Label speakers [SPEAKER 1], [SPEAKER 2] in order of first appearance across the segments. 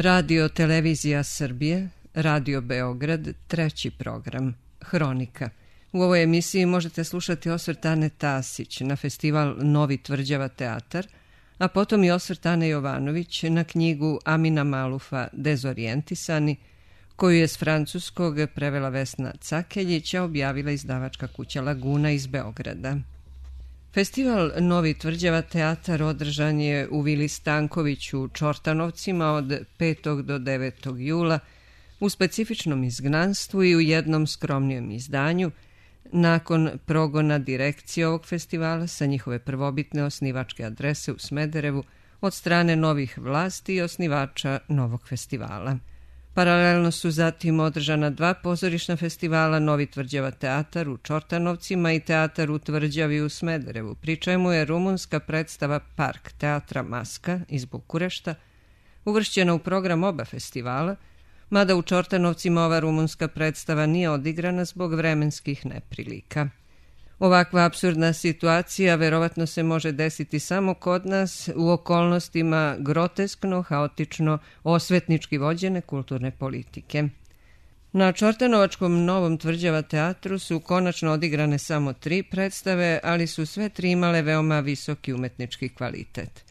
[SPEAKER 1] Radio Televizija Srbije, Radio Beograd, treći program, Hronika. U ovoj emisiji možete slušati osvrt Ane Tasić na festival Novi Tvrđava teatar, a potom i osvrt Ane Jovanović na knjigu Amina Malufa Dezorijentisani, koju je s francuskog prevela Vesna Cakeljić, a objavila izdavačka kuća Laguna iz Beograda. Festival Novi Tvrđava teatar održan je u Vili Stankoviću u Čortanovcima od 5. do 9. jula u specifičnom izgnanstvu i u jednom skromnijem izdanju nakon progona direkcije ovog festivala sa njihove prvobitne osnivačke adrese u Smederevu od strane novih vlasti i osnivača novog festivala. Paralelno su zatim održana dva pozorišna festivala Novi Tvrđava teatar u Čortanovcima i teatar u Tvrđavi u Smederevu, pri čemu je rumunska predstava Park teatra Maska iz Bukurešta uvršćena u program oba festivala, mada u Čortanovcima ova rumunska predstava nije odigrana zbog vremenskih neprilika. Ovakva apsurdna situacija verovatno se može desiti samo kod nas u okolnostima groteskno, haotično, osvetnički vođene kulturne politike. Na Čortanovačkom Novom Tvrđava teatru su konačno odigrane samo 3 predstave, ali su sve 3 imale veoma visoki umetnički kvalitet.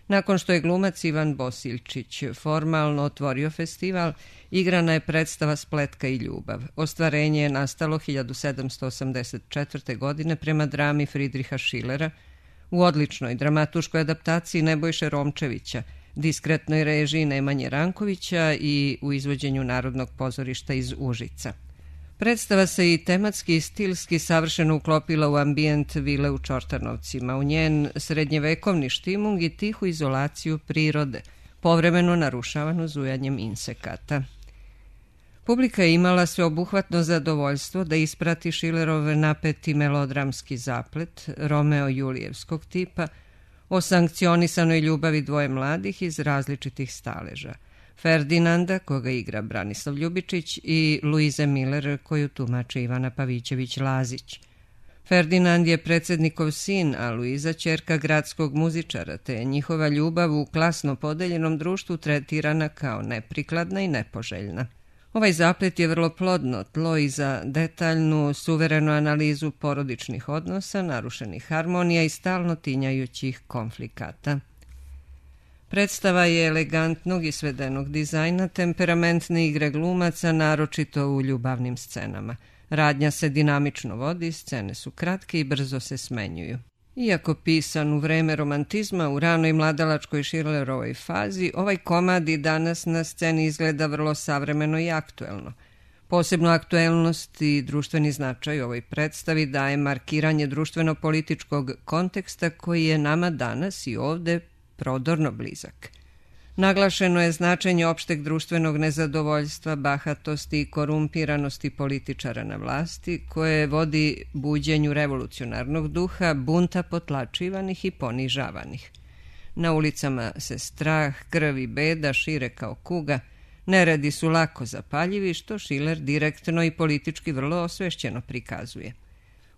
[SPEAKER 1] Nakon što je glumac Ivan Bosiljčić formalno otvorio festival, igrana je predstava Spletka i ljubav. Ostvarenje je nastalo 1784. godine prema drami Fridriha Šilera u odličnoj dramatuškoj adaptaciji Nebojše Romčevića, diskretnoj režiji Nemanje Rankovića i u izvođenju Narodnog pozorišta iz Užica. Predstava se i tematski i stilski savršeno uklopila u ambijent vile u Čortanovcima, u njen srednjevekovni štimung i tihu izolaciju prirode, povremeno narušavanu zujanjem insekata. Publika je imala sveobuhvatno zadovoljstvo da isprati Šilerov napeti melodramski zaplet, Romeo Julijevskog tipa, o sankcionisanoj ljubavi dvoje mladih iz različitih staleža. Ferdinanda, koga igra Branislav Ljubičić, i Luize Miller, koju tumači Ivana Pavićević-Lazić. Ferdinand je predsjednikov sin, a Luiza ćerka gradskog muzičara, te je njihova ljubav u klasno podeljenom društvu tretirana kao neprikladna i nepoželjna. Ovaj zaplet je vrlo plodno tlo i za detaljnu, suverenu analizu porodičnih odnosa, narušenih harmonija i stalno tinjajućih konflikata. Predstava je elegantnog i svedenog dizajna, temperamentne igre glumaca, naročito u ljubavnim scenama. Radnja se dinamično vodi, scene su kratke i brzo se smenjuju. Iako pisan u vreme romantizma, u ranoj mladalačkoj Šilerovoj fazi, ovaj komad i danas na sceni izgleda vrlo savremeno i aktuelno. Posebnu aktuelnost i društveni značaj ovoj predstavi daje markiranje društveno-političkog konteksta koji je nama danas i ovde prodorno blizak. Naglašeno je značenje opšteg društvenog nezadovoljstva, bahatosti i korumpiranosti političara na vlasti, koje vodi buđenju revolucionarnog duha, bunta potlačivanih i ponižavanih. Na ulicama se strah, krv i beda šire kao kuga, neredi su lako zapaljivi, što Šiler direktno i politički vrlo osvešćeno prikazuje.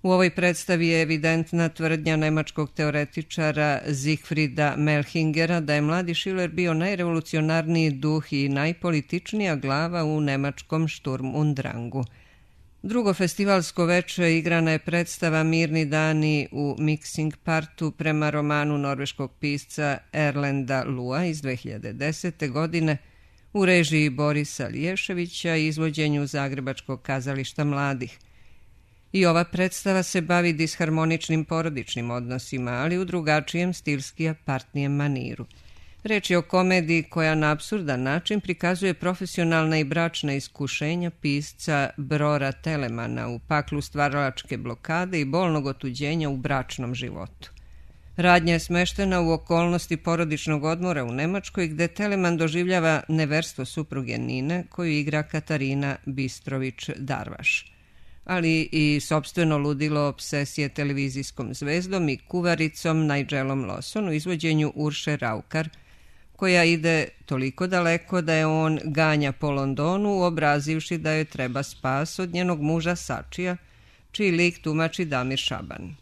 [SPEAKER 1] U ovoj predstavi je evidentna tvrdnja nemačkog teoretičara Siegfrieda Melchingera da je mladi Šiler bio najrevolucionarniji duh i najpolitičnija glava u nemačkom Sturm und Drangu. Drugo festivalsko veče igrana je predstava Mirni dani u Mixing partu prema romanu norveškog pisca Erlenda Lua iz 2010. godine u režiji Borisa Liješevića i izvođenju Zagrebačkog kazališta mladih. I ova predstava se bavi disharmoničnim porodičnim odnosima, ali u drugačijem stilski apartnijem maniru. Reč je o komediji koja na apsurdan način prikazuje profesionalna i bračna iskušenja pisca Brora Telemana u paklu stvaralačke blokade i bolnog otuđenja u bračnom životu. Radnja je smeštena u okolnosti porodičnog odmora u Nemačkoj, gde Teleman doživljava neverstvo supruge Nine, koju igra Katarina Bistrović-Darvaš, ali i sopstveno ludilo obsesije televizijskom zvezdom i kuvaricom Nigelom Lawson u izvođenju Urše Raukar, koja ide toliko daleko da je on ganja po Londonu, uobrazivši da joj treba spas od njenog muža Sačija, čiji lik tumači Damir Šaban.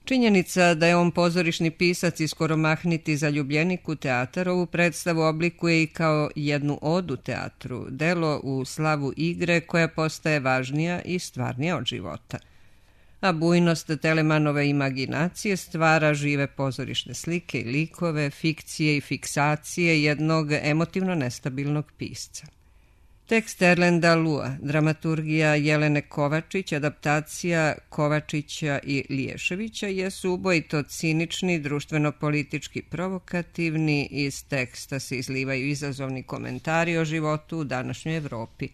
[SPEAKER 1] Činjenica da je on pozorišni pisac i skoro mahniti zaljubljenik u teatar ovu predstavu oblikuje i kao jednu odu teatru, delo u slavu igre koja postaje važnija i stvarnija od života. A bujnost Telemanove imaginacije stvara žive pozorišne slike i likove, fikcije i fiksacije jednog emotivno nestabilnog pisca. Tekst Erlenda Lua, dramaturgija Jelene Kovačić, adaptacija Kovačića i Liješevića jesu ubojito cinični, društveno-politički provokativni, iz teksta se izlivaju izazovni komentari o životu u današnjoj Evropi.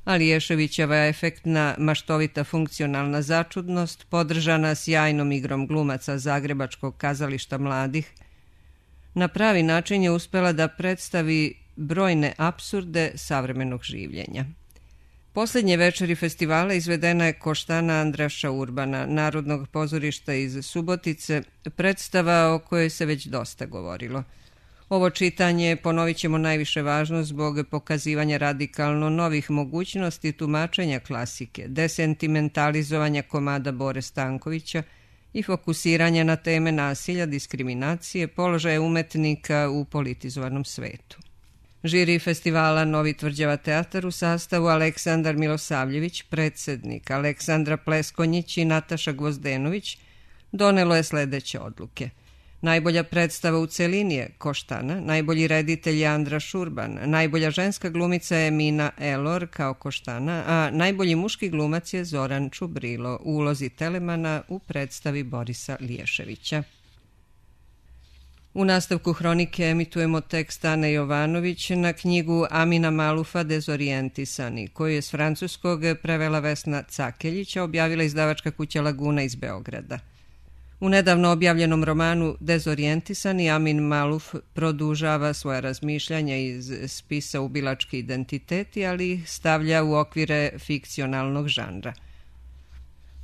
[SPEAKER 1] A Liješevićeva efektna, maštovita funkcionalna začudnost, podržana sjajnom igrom glumaca Zagrebačkog kazališta mladih, na pravi način je uspela da predstavi brojne apsurde savremenog življenja. Posljednje večeri festivala izvedena je Koštana Andraša Urbana, Narodnog pozorišta iz Subotice, predstava o kojoj se već dosta govorilo. Ovo čitanje ponovit ćemo najviše važno zbog pokazivanja radikalno novih mogućnosti tumačenja klasike, desentimentalizovanja komada Bore Stankovića i fokusiranja na teme nasilja, diskriminacije, položaja umetnika u politizovanom svetu. Žiri festivala Novi Tvrđava teatar u sastavu Aleksandar Milosavljević, predsjednik, Aleksandra Pleskonjić i Nataša Gvozdenović donelo je sledeće odluke. Najbolja predstava u celini je Koštana, najbolji reditelj je Andraš Urban, najbolja ženska glumica je Mina Elor kao Koštana, a najbolji muški glumac je Zoran Čubrilo u ulozi Telemana u predstavi Borisa Liješevića. U nastavku hronike emitujemo tekst Ane Jovanović na knjigu Amina Malufa Dezorijentisani, koju je s francuskog prevela Vesna Cakeljića, objavila izdavačka kuća Laguna iz Beograda. U nedavno objavljenom romanu Dezorijentisani Amin Maluf produžava svoja razmišljanja iz spisa Ubilački identiteti, ali ih stavlja u okvire fikcionalnog žanra.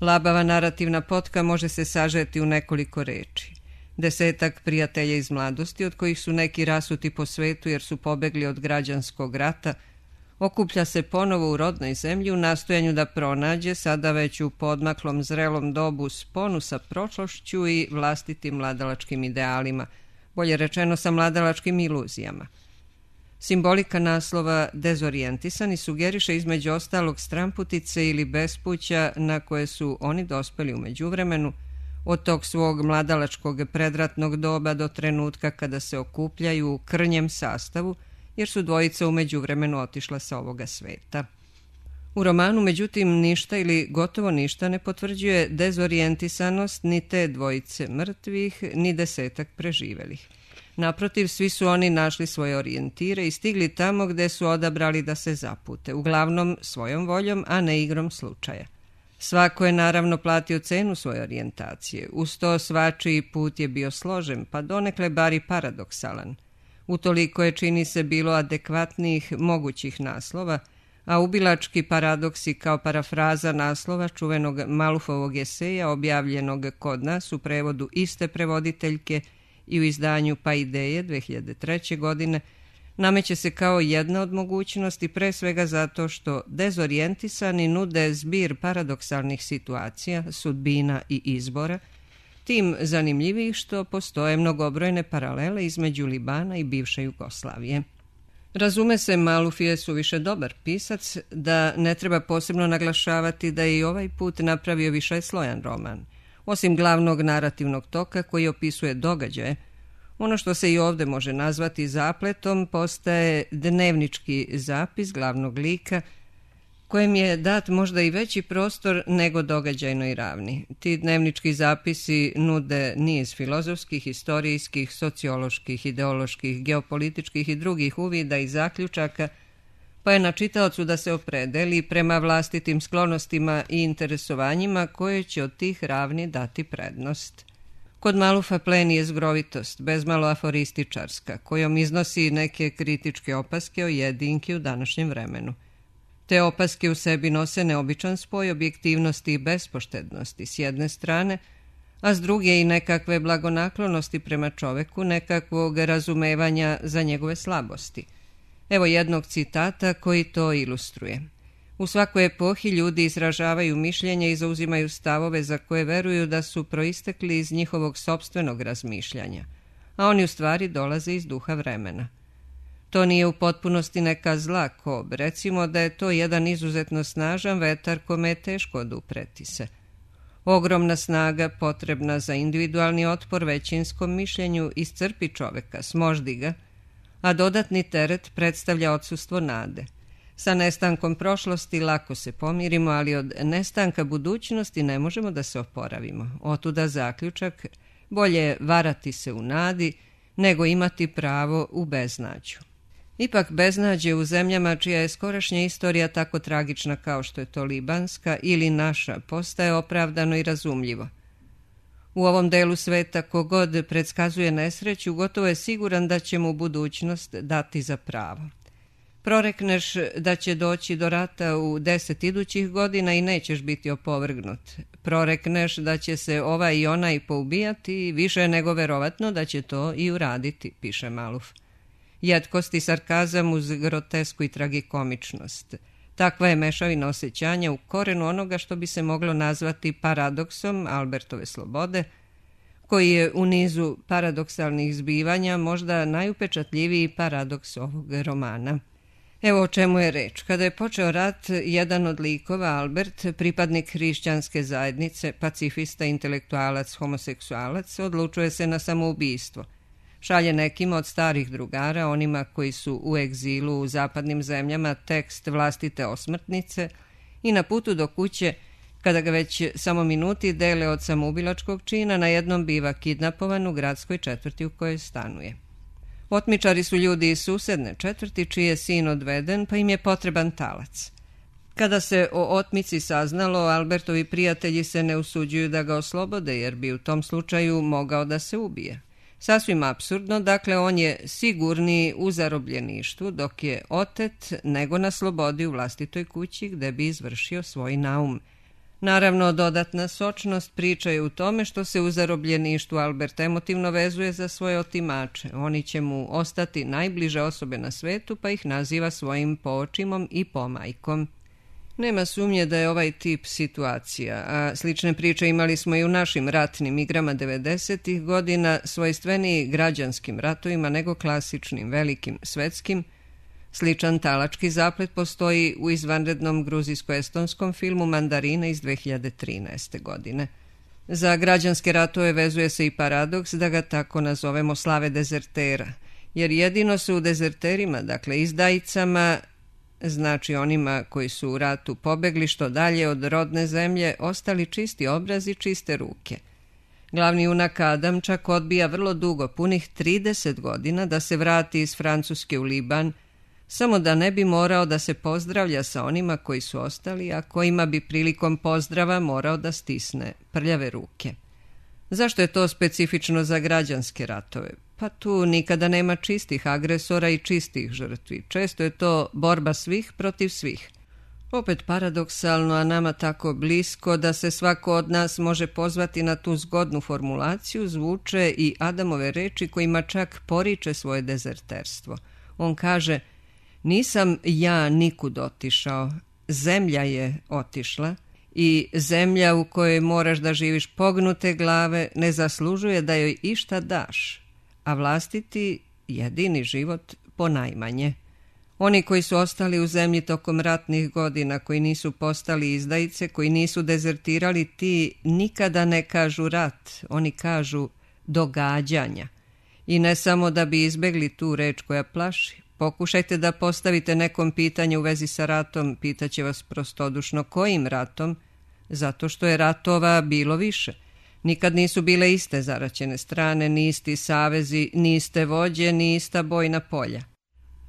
[SPEAKER 1] Labava narativna potka može se sažeti u nekoliko reči. 10 prijatelja iz mladosti, od kojih su neki rasuti po svetu jer su pobegli od građanskog rata, okuplja se ponovo u rodnoj zemlji u nastojanju da pronađe, sada već u podmaklom zrelom dobu, sponu sa prošlošću i vlastitim mladalačkim idealima, bolje rečeno sa mladalačkim iluzijama. Simbolika naslova Dezorijentisani sugeriše između ostalog stramputice ili bespuća na koje su oni dospeli u međuvremenu, od tog svog mladalačkog predratnog doba do trenutka kada se okupljaju u krnjem sastavu, jer su dvojica u međuvremenu otišla sa ovoga sveta. U romanu, međutim, ništa ili gotovo ništa ne potvrđuje dezorijentisanost ni te dvojice mrtvih, ni 10 preživelih. Naprotiv, svi su oni našli svoje orijentire i stigli tamo gde su odabrali da se zapute, uglavnom svojom voljom, a ne igrom slučaja. Svako je naravno platio cenu svoje orijentacije, uz to svačiji put je bio složen, pa donekle bar i paradoksalan. Utoliko je, čini se, bilo adekvatnijih mogućih naslova, a ubilački paradoksi kao parafraza naslova čuvenog Malufovog eseja objavljenog kod nas u prevodu iste prevoditeljke i u izdanju Pa ideje 2003. godine, nameće se kao jedna od mogućnosti, pre svega zato što dezorijentisani nude zbir paradoksalnih situacija, sudbina i izbora, tim zanimljivih što postoje mnogobrojne paralele između Libana i bivše Jugoslavije. Razume se, Maluf je suviše dobar pisac, da ne treba posebno naglašavati da je i ovaj put napravio višeslojan roman. Osim glavnog narativnog toka koji opisuje događaje, ono što se i ovde može nazvati zapletom postaje dnevnički zapis glavnog lika, kojem je dat možda i veći prostor nego događajnoj ravni. Ti dnevnički zapisi nude niz filozofskih, istorijskih, socioloških, ideoloških, geopolitičkih i drugih uvida i zaključaka, pa je na čitaocu da se opredeli prema vlastitim sklonostima i interesovanjima koje će od tih ravni dati prednost. Kod Malufa pleni je zgrovitost, bezmalo aforističarska, kojom iznosi neke kritičke opaske o jedinki u današnjem vremenu. Te opaske u sebi nose neobičan spoj objektivnosti i bespoštednosti s jedne strane, a s druge i nekakve blagonaklonosti prema čoveku, nekakvog razumevanja za njegove slabosti. Evo jednog citata koji to ilustruje. U svakoj epohi ljudi izražavaju mišljenje i zauzimaju stavove za koje veruju da su proistekli iz njihovog sopstvenog razmišljanja, a oni u stvari dolaze iz duha vremena. To nije u potpunosti neka zla kob, recimo da je to jedan izuzetno snažan vetar kome je teško odupreti se. Ogromna snaga potrebna za individualni otpor većinskom mišljenju iscrpi čoveka, smoždi ga, a dodatni teret predstavlja odsustvo nade. Sa nestankom prošlosti lako se pomirimo, ali od nestanka budućnosti ne možemo da se oporavimo. Otuda zaključak, bolje je varati se u nadi nego imati pravo u beznađu. Ipak beznađe u zemljama čija je skorašnja istorija tako tragična kao što je to libanska ili naša postaje opravdano i razumljivo. U ovom delu sveta kogod predskazuje nesreću gotovo je siguran da će mu budućnost dati za pravo. Prorekneš da će doći do rata u 10 idućih godina i nećeš biti opovrgnut. Prorekneš da će se ovaj i onaj poubijati i više je nego verovatno da će to i uraditi, piše Maluf. Jetkost i sarkazam uz grotesku i tragikomičnost. Takva je mešavina osjećanja u korenu onoga što bi se moglo nazvati paradoksom Albertove slobode, koji je u nizu paradoksalnih zbivanja možda najupečatljiviji paradoks ovog romana. Evo o čemu je reč. Kada je počeo rat, jedan od likova, Albert, pripadnik hrišćanske zajednice, pacifista, intelektualac, homoseksualac, odlučuje se na samoubistvo. Šalje nekima od starih drugara, onima koji su u egzilu u zapadnim zemljama, tekst vlastite osmrtnice i na putu do kuće, kada ga već samo minuti dele od samoubilačkog čina, na jednom biva kidnapovan u gradskoj četvrti u kojoj stanuje. Otmičari su ljudi iz susedne četvrti čiji je sin odveden, pa im je potreban talac. Kada se o otmici saznalo, Albertovi prijatelji se ne usuđuju da ga oslobode, jer bi u tom slučaju mogao da se ubije. Sasvim apsurdno, dakle on je sigurniji u zarobljeništvu dok je otet nego na slobodi u vlastitoj kući gde bi izvršio svoj naum. Naravno, dodatna sočnost priče je u tome što se u zarobljeništvu Albert emotivno vezuje za svoje otimače. Oni će mu ostati najbliže osobe na svetu, pa ih naziva svojim poočimom i pomajkom. Nema sumnje da je ovaj tip situacija, a slične priče imali smo i u našim ratnim igrama 90. godina, svojstveniji građanskim ratovima nego klasičnim, velikim, svetskim. Sličan talački zaplet postoji u izvanrednom gruzijsko-estonskom filmu Mandarina iz 2013. godine. Za građanske ratove vezuje se i paradoks da ga tako nazovemo slave dezertera, jer jedino su u dezerterima, dakle izdajicama, znači onima koji su u ratu pobegli što dalje od rodne zemlje, ostali čisti obraz i čiste ruke. Glavni junak Adam čak odbija vrlo dugo, punih 30 godina, da se vrati iz Francuske u Liban, samo da ne bi morao da se pozdravlja sa onima koji su ostali, a kojima bi prilikom pozdrava morao da stisne prljave ruke. Zašto je to specifično za građanske ratove? Pa tu nikada nema čistih agresora i čistih žrtvi. Često je to borba svih protiv svih. Opet paradoksalno, a nama tako blisko da se svako od nas može pozvati na tu zgodnu formulaciju, zvuče i Adamove reči kojima čak poriče svoje dezerterstvo. On kaže: nisam ja nikud otišao, zemlja je otišla i zemlja u kojoj moraš da živiš pognute glave ne zaslužuje da joj išta daš, a vlastiti jedini život ponajmanje. Oni koji su ostali u zemlji tokom ratnih godina, koji nisu postali izdajice, koji nisu dezertirali, ti nikada ne kažu rat, oni kažu događanja. I ne samo da bi izbegli tu reč koja plaši. Pokušajte da postavite nekom pitanje u vezi sa ratom, pitaće vas prostodušno kojim ratom, zato što je ratova bilo više. Nikad nisu bile iste zaraćene strane, ni isti savezi, ni iste vođe, ni ista bojna polja.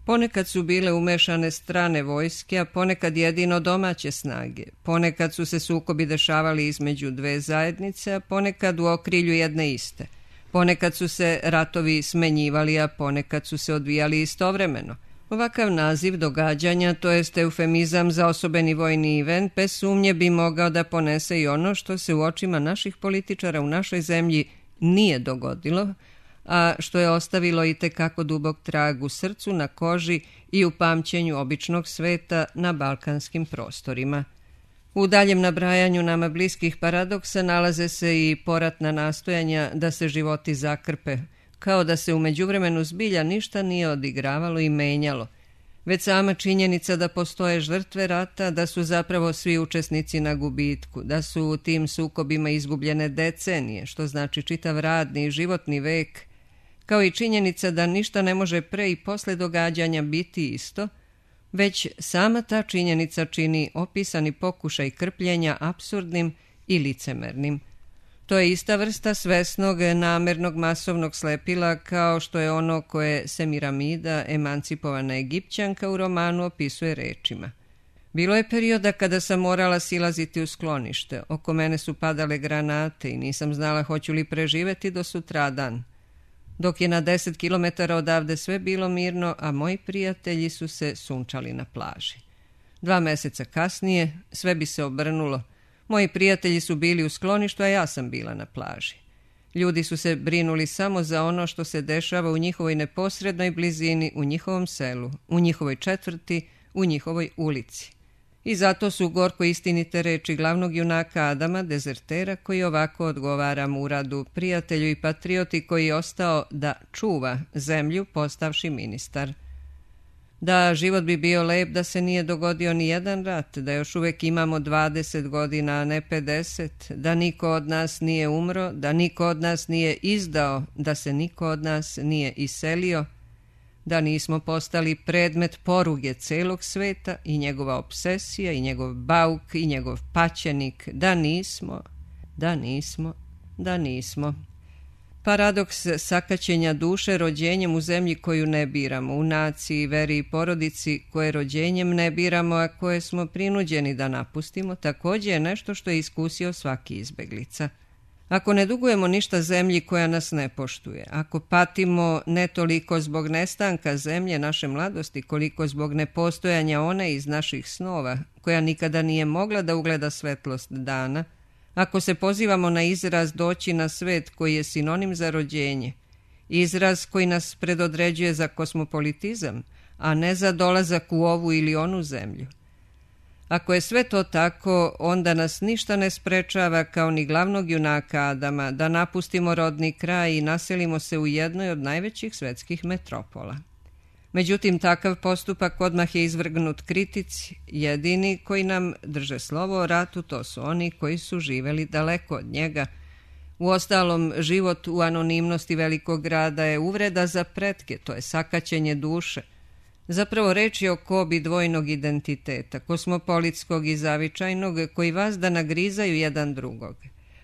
[SPEAKER 1] Ponekad su bile umešane strane vojske, a ponekad jedino domaće snage. Ponekad su se sukobi dešavali između dve zajednice, a ponekad u okrilju jedne iste. Ponekad su se ratovi smenjivali, a ponekad su se odvijali istovremeno. Ovakav naziv događanja, to jest eufemizam za osobeni vojni event, bez sumnje bi mogao da ponese i ono što se u očima naših političara u našoj zemlji nije dogodilo, a što je ostavilo i tekako dubok trag u srcu, na koži i u pamćenju običnog sveta na balkanskim prostorima. U daljem nabrajanju nama bliskih paradoksa nalaze se i poratna nastojanja da se životi zakrpe, kao da se u međuvremenu zbilja ništa nije odigravalo i menjalo, već sama činjenica da postoje žrtve rata, da su zapravo svi učesnici na gubitku, da su u tim sukobima izgubljene decenije, što znači čitav radni i životni vek, kao i činjenica da ništa ne može pre i posle događanja biti isto, već sama ta činjenica čini opisani pokušaj krpljenja apsurdnim i licemernim. To je ista vrsta svesnog, namernog masovnog slepila kao što je ono koje Semiramida, emancipovana Egipćanka, u romanu opisuje rečima. Bilo je perioda kada sam morala silaziti u sklonište, oko mene su padale granate i nisam znala hoću li preživeti do sutradan. Dok je na 10 kilometara odavde sve bilo mirno, a moji prijatelji su se sunčali na plaži. 2 meseca kasnije sve bi se obrnulo. Moji prijatelji su bili u skloništu, a ja sam bila na plaži. Ljudi su se brinuli samo za ono što se dešava u njihovoj neposrednoj blizini, u njihovom selu, u njihovoj četvrti, u njihovoj ulici. I zato su gorko istinite reči glavnog junaka Adama, dezertera, koji ovako odgovara Muradu, prijatelju i patrioti koji je ostao da čuva zemlju postavši ministar. Da, život bi bio lep da se nije dogodio ni jedan rat, da još uvek imamo 20 godina, a ne 50, da niko od nas nije umro, da niko od nas nije izdao, da se niko od nas nije iselio, da nismo postali predmet poruge celog sveta i njegova obsesija i njegov bauk i njegov paćenik, da nismo. Paradoks sakaćenja duše rođenjem u zemlji koju ne biramo, u naciji, veri i porodici koje rođenjem ne biramo, a koje smo prinuđeni da napustimo, također je nešto što je iskusio svaki izbeglica. Ako ne dugujemo ništa zemlji koja nas ne poštuje, ako patimo ne toliko zbog nestanka zemlje naše mladosti, koliko zbog nepostojanja one iz naših snova, koja nikada nije mogla da ugleda svetlost dana, ako se pozivamo na izraz doći na svet koji je sinonim za rođenje, izraz koji nas predodređuje za kosmopolitizam, a ne za dolazak u ovu ili onu zemlju. Ako je sve to tako, onda nas ništa ne sprečava kao ni glavnog junaka Adama da napustimo rodni kraj i naselimo se u jednoj od najvećih svetskih metropola. Međutim, takav postupak odmah je izvrgnut kritici. Jedini koji nam drže slovo o ratu to su oni koji su živeli daleko od njega. Uostalom, život u anonimnosti velikog grada je uvreda za pretke, to je sakaćenje duše. Zapravo reč je o kobi dvojnog identiteta, kosmopolitskog i zavičajnog, koji vas da nagrizaju jedan drugog.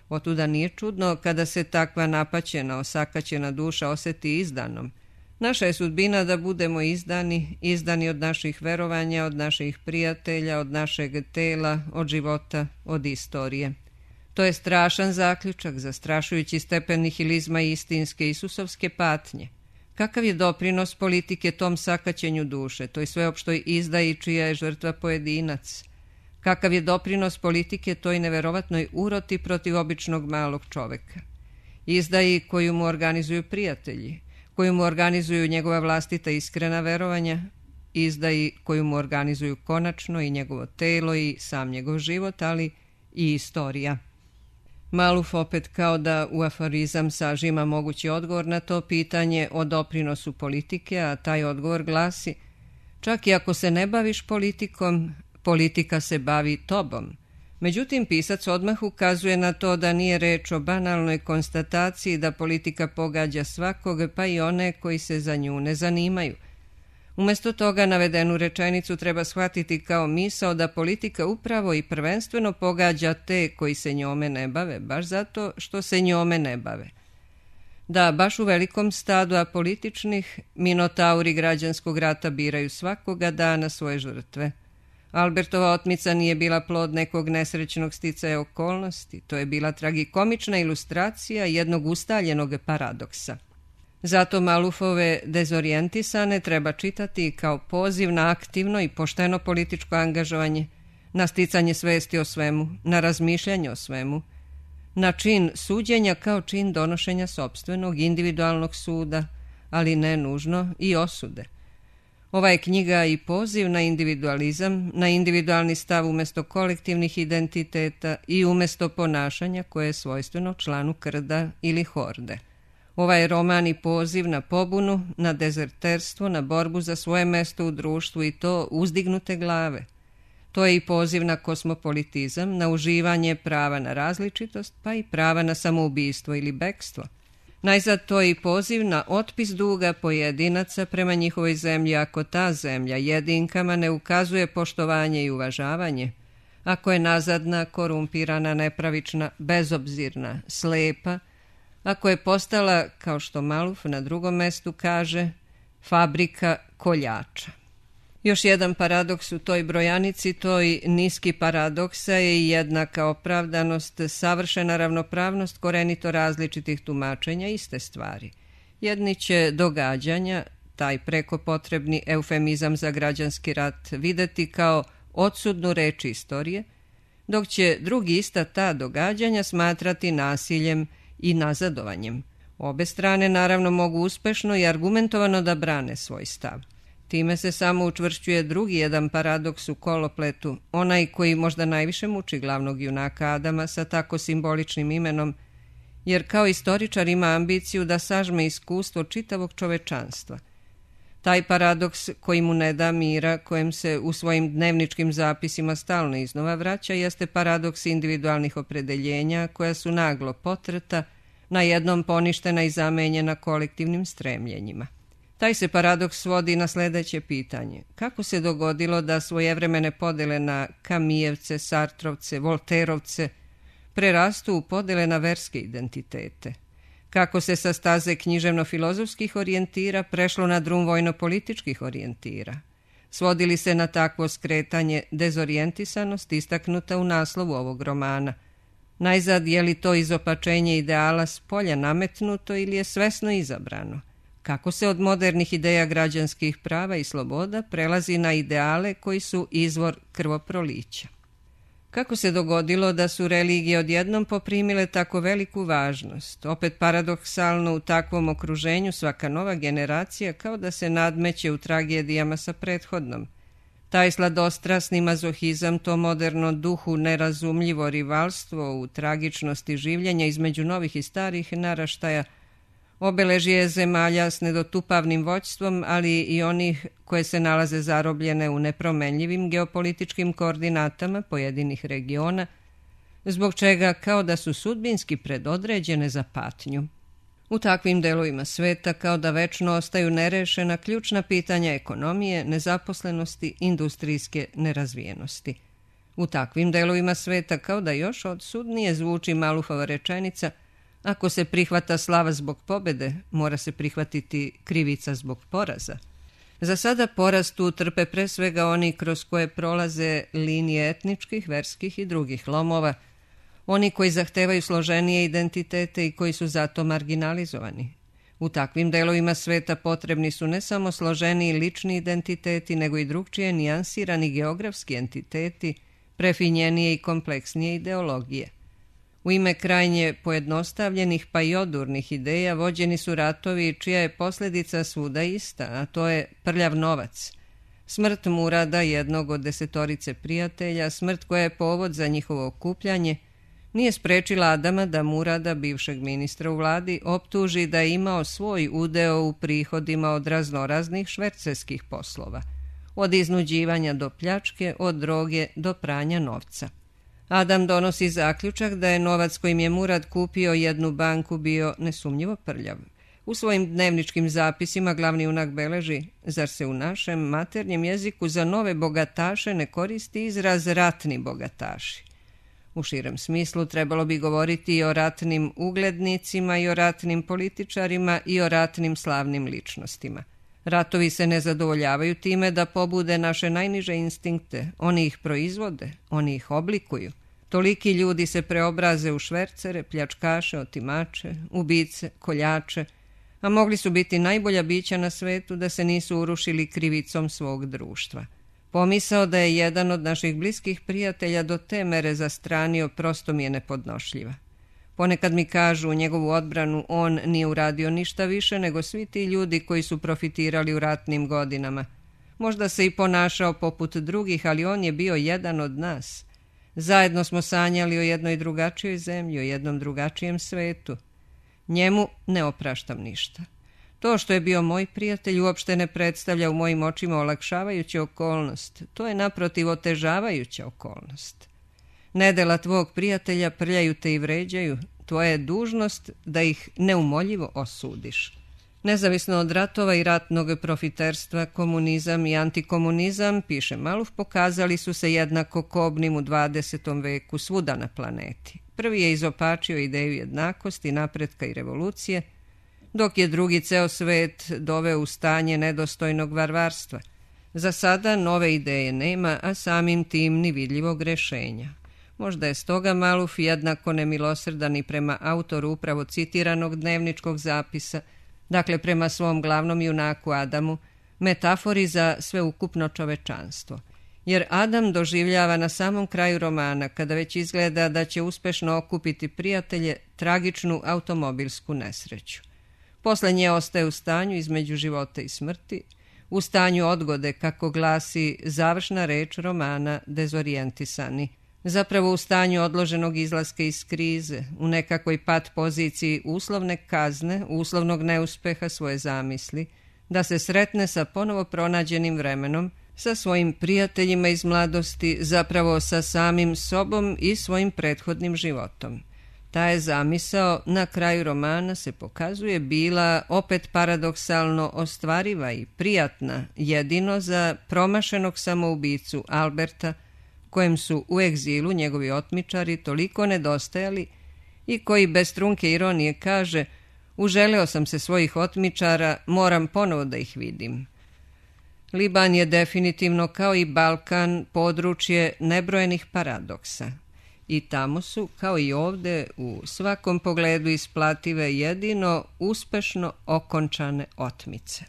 [SPEAKER 1] Otuda nije čudno kada se takva napaćena, osakaćena duša oseti izdanom. Naša je sudbina da budemo izdani od naših verovanja, od naših prijatelja, od našeg tela, od života, od istorije. To je strašan zaključak, zastrašujući stepen nihilizma i istinske Isusovske patnje. Kakav je doprinos politike tom sakaćenju duše, toj sveopštoj izdaji čija je žrtva pojedinac? Kakav je doprinos politike toj neverovatnoj uroti protiv običnog malog čoveka? Izdaji koju mu organizuju prijatelji, koju mu organizuju njegova vlastita iskrena verovanja, izdaji koju mu organizuju konačno i njegovo telo i sam njegov život, ali i istorija. Maluf opet kao da u aforizam sažima mogući odgovor na to pitanje o doprinosu politike, a taj odgovor glasi: čak i ako se ne baviš politikom, politika se bavi tobom. Međutim, pisac odmah ukazuje na to da nije reč o banalnoj konstataciji da politika pogađa svakog, pa i one koji se za nju ne zanimaju. Umjesto toga navedenu rečenicu treba shvatiti kao misao da politika upravo i prvenstveno pogađa te koji se njome ne bave, baš zato što se njome ne bave. Da, baš u velikom stadu apolitičnih, minotauri građanskog rata biraju svakoga dana svoje žrtve. Albertova otmica nije bila plod nekog nesrećnog sticaja okolnosti, to je bila tragikomična ilustracija jednog ustaljenog paradoksa. Zato Malufove dezorijentisane treba čitati kao poziv na aktivno i pošteno političko angažovanje, na sticanje svesti o svemu, na razmišljanje o svemu, na čin suđenja kao čin donošenja sopstvenog individualnog suda, ali ne nužno i osude. Ova je knjiga i poziv na individualizam, na individualni stav umjesto kolektivnih identiteta i umjesto ponašanja koje je svojstveno članu krda ili horde. Ovaj roman i poziv na pobunu, na dezerterstvo, na borbu za svoje mesto u društvu i to uzdignute glave. To je i poziv na kosmopolitizam, na uživanje prava na različitost, pa i prava na samoubistvo ili bekstvo. Najzad to je i poziv na otpis duga pojedinaca prema njihovoj zemlji ako ta zemlja jedinkama ne ukazuje poštovanje i uvažavanje, ako je nazadna, korumpirana, nepravična, bezobzirna, slepa, ako je postala, kao što Maluf na drugom mestu kaže, fabrika koljača. Još jedan paradoks u toj brojanici, toj niski paradoksa je i jednaka opravdanost, savršena ravnopravnost korenito različitih tumačenja iste stvari. Jedni će događanja, taj preko potrebni eufemizam za građanski rat, videti kao odsudnu reč istorije, dok će drugi ista ta događanja smatrati nasiljem i nazadovanjem. Obe strane naravno mogu uspešno i argumentovano da brane svoj stav. Time se samo učvršćuje drugi jedan paradoks u kolopletu, onaj koji možda najviše muči glavnog junaka Adama sa tako simboličnim imenom, jer kao istoričar ima ambiciju da sažme iskustvo čitavog čovečanstva. Taj paradoks koji mu ne da mira, kojem se u svojim dnevničkim zapisima stalno iznova vraća, jeste paradoks individualnih opredeljenja koja su naglo potreta, na jednom poništena i zamenjena kolektivnim stremljenjima. Taj se paradoks svodi na sljedeće pitanje. Kako se dogodilo da svojevremene podele na Kamijevce, Sartrovce, Volterovce prerastu u podele na verske identitete? Kako se sa staze književno-filozofskih orijentira prešlo na drum vojno-političkih orijentira? Svodili se na takvo skretanje dezorijentisanost istaknuta u naslovu ovog romana? Najzad, je li to izopačenje ideala s polja nametnuto ili je svesno izabrano? Kako se od modernih ideja građanskih prava i sloboda prelazi na ideale koji su izvor krvoprolića? Kako se dogodilo da su religije odjednom poprimile tako veliku važnost? Opet paradoksalno, u takvom okruženju svaka nova generacija kao da se nadmeće u tragedijama sa prethodnom. Taj sladostrasni mazohizam, to moderno duhu nerazumljivo rivalstvo u tragičnosti življenja između novih i starih naraštaja, obeležje zemalja s nedotupavnim vođstvom, ali i onih koje se nalaze zarobljene u nepromenljivim geopolitičkim koordinatama pojedinih regiona, zbog čega kao da su sudbinski predodređene za patnju. U takvim delovima sveta kao da večno ostaju nerešena ključna pitanja ekonomije, nezaposlenosti, industrijske nerazvijenosti. U takvim delovima sveta kao da još odsudnije zvuči Malufova rečenica: ako se prihvata slava zbog pobede, mora se prihvatiti krivica zbog poraza. Za sada poraz tu trpe pre svega oni kroz koje prolaze linije etničkih, verskih i drugih lomova, oni koji zahtevaju složenije identitete i koji su zato marginalizovani. U takvim delovima sveta potrebni su ne samo složeniji lični identiteti, nego i drugčije nijansirani geografski entiteti, prefinjenije i kompleksnije ideologije. U ime krajnje pojednostavljenih pa i odurnih ideja vođeni su ratovi čija je posljedica svuda ista, a to je prljav novac. Smrt Murada, jednog od 10 prijatelja, smrt koja je povod za njihovo okupljanje, nije sprečila Adama da Murada, bivšeg ministra u vladi, optuži da je imao svoj udeo u prihodima od raznoraznih švercerskih poslova, od iznuđivanja do pljačke, od droge do pranja novca. Adam donosi zaključak da je novac kojim je Murad kupio jednu banku bio nesumnjivo prljav. U svojim dnevničkim zapisima glavni junak beleži: zar se u našem maternjem jeziku za nove bogataše ne koristi izraz ratni bogataši? U širem smislu trebalo bi govoriti i o ratnim uglednicima i o ratnim političarima i o ratnim slavnim ličnostima. Ratovi se ne zadovoljavaju time da pobude naše najniže instinkte, oni ih proizvode, oni ih oblikuju. Toliki ljudi se preobraze u švercere, pljačkaše, otimače, ubice, koljače, a mogli su biti najbolja bića na svetu da se nisu urušili krivicom svog društva. Pomisao da je jedan od naših bliskih prijatelja do te mere zastranio prosto mi je nepodnošljiva. Ponekad mi kažu u njegovu odbranu on nije uradio ništa više nego svi ti ljudi koji su profitirali u ratnim godinama. Možda se i ponašao poput drugih, ali on je bio jedan od nas. Zajedno smo sanjali o jednoj drugačijoj zemlji, o jednom drugačijem svetu. Njemu ne opraštam ništa. To što je bio moj prijatelj uopšte ne predstavlja u mojim očima olakšavajuću okolnost. To je naprotiv otežavajuća okolnost. Nedela tvog prijatelja prljaju te i vređaju. Tvoja je dužnost da ih neumoljivo osudiš. Nezavisno od ratova i ratnog profiterstva, komunizam i antikomunizam, piše Maluf, pokazali su se jednako kobnim u 20. veku svuda na planeti. Prvi je izopačio ideju jednakosti, napretka i revolucije, dok je drugi ceo svet doveo u stanje nedostojnog varvarstva. Za sada nove ideje nema, a samim tim ni vidljivog rešenja. Možda je stoga Maluf jednako nemilosrdan i prema autoru upravo citiranog dnevničkog zapisa, dakle prema svom glavnom junaku Adamu, metafori za sveukupno čovečanstvo. Jer Adam doživljava na samom kraju romana, kada već izgleda da će uspešno okupiti prijatelje, tragičnu automobilsku nesreću. Posle nje ostaje u stanju između života i smrti, u stanju odgode, kako glasi završna reč romana Dezorijentisani, zapravo u stanju odloženog izlaska iz krize, u nekakvoj pat poziciji uslovne kazne, uslovnog neuspeha svoje zamisli, da se sretne sa ponovo pronađenim vremenom, sa svojim prijateljima iz mladosti, zapravo sa samim sobom i svojim prethodnim životom. Ta je zamisao na kraju romana se pokazuje bila opet paradoksalno ostvariva i prijatna jedino za promašenog samoubicu Alberta, kojem su u egzilu njegovi otmičari toliko nedostajali i koji bez trunke ironije kaže: uželeo sam se svojih otmičara, moram ponovo da ih vidim. Liban je definitivno kao i Balkan područje nebrojenih paradoksa. I tamo su, kao i ovde, u svakom pogledu isplative jedino uspešno okončane otmice.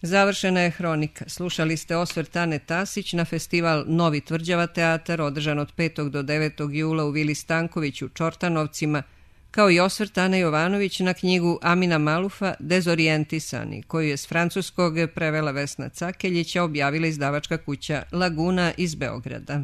[SPEAKER 1] Završena je hronika. Slušali ste osvrt Ane Tasić na festival Novi Tvrđava teatar održan od 5. do 9. jula u Vili Stanković u Čortanovcima, kao i osvrt Ane Jovanović na knjigu Amina Malufa Dezorijentisani, koju je s francuskog prevela Vesna Cakeljića objavila izdavačka kuća Laguna iz Beograda.